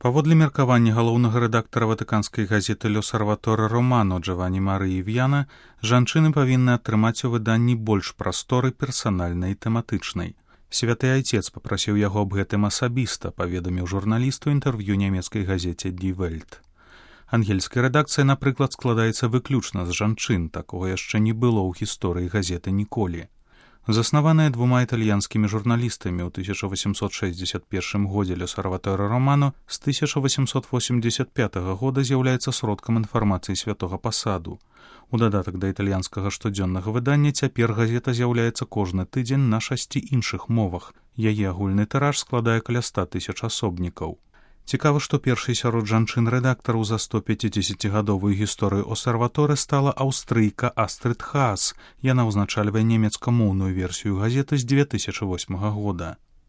Паводле меркавання галоўнага рэдактара ватыканскай газеты «L'Osservatore Romano» Джавані Марыі В'яна, жанчыны павінны атрымаць у выданні больш прасторы персанальнай і тэматычнай. Святы айцец папрасіў яго аб гэтым асабіста, паведаміў журналісту інтэрв'ю нямецкай газеце «Die Welt». Ангельская рэдакцыя, напрыклад, складаецца выключна з жанчын, такога яшчэ не было ў гісторыі газеты ніколі. Заснаваная двума італьянскімі журналістамі ў 1861 годзе «L'Osservatore Romano» з 1885 года з'яўляецца сродкам інфармацыі святога пасаду. У дадатак да італьянскага штодзённага выдання цяпер газета з'яўляецца кожны тыдзень на 6 іншых мовах. Яе агульны тыраж складае каля 100 000 асобнікаў. Цікава, што першай сярод жанчын-рэдактараў за 150-гадовую гісторыю «Осерваторы» стала аўстрыйка Астрид Хаас. Яна ўзначальвае немецкамоўную версію газеты з 2008 года.